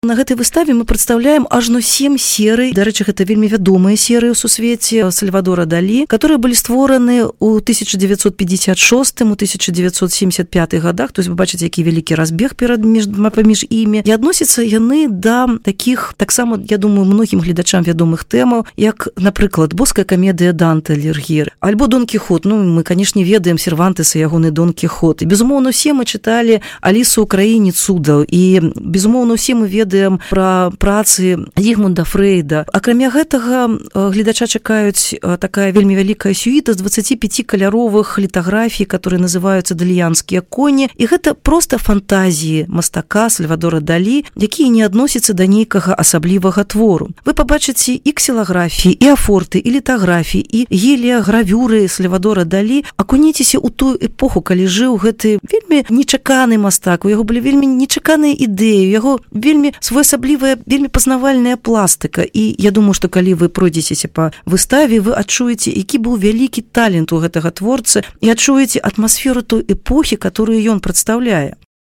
На гэтай выставе мы прадстаўляем ажно 7 серый. Дарэчы, гэта вельмі вядомыя серыі ў сусвеце Сальвадора Далі, которые былі створаны ў 1956, у 1975 годах. То есть вы бачыце, які вялікі разбег паміж імі. І адносяцца яны да такіх, таксама, я думаю, многім гледачам вядомых тэмаў, як, напрыклад, боская камедыя Данте Аліг'ері, альбо Дон Кіхот. Ну, мы, канешне, ведаем Сервантеса, ягоны Дон Кіхот. І, безумоўна, усе мы чыталі Алісу ў краіне цудаў. І, безумоўна, усе мы ведаем пра працы Зігмунда Фрейда. Акрамя гэтага, гледача чакаюць такая вельмі вялікая сюіта з 25 каляровых літаграфій, которые называюцца даліянскія коні. І гэта проста фантазіі мастака Сальвадора Далі, якія не адносяцца да нейкага асаблівага твору. Вы пабачыце і ксілаграфіі, і афорты, і літаграфіі, і геліягравюры Сальвадора Далі. Акуніцеся ў тую эпоху, калі жыў гэты вельмі нечаканы мастак, у яго былі вельмі нечаканыя ідэі, у яго вельмі своеасаблівая, вельмі пазнавальная пластыка. І я думаю, што калі вы пройдзецеся па выставе, вы адчуеце, які быў вялікі талент у гэтага творцы і адчуеце атмасферу той эпохі, которую ён прадстаўляе.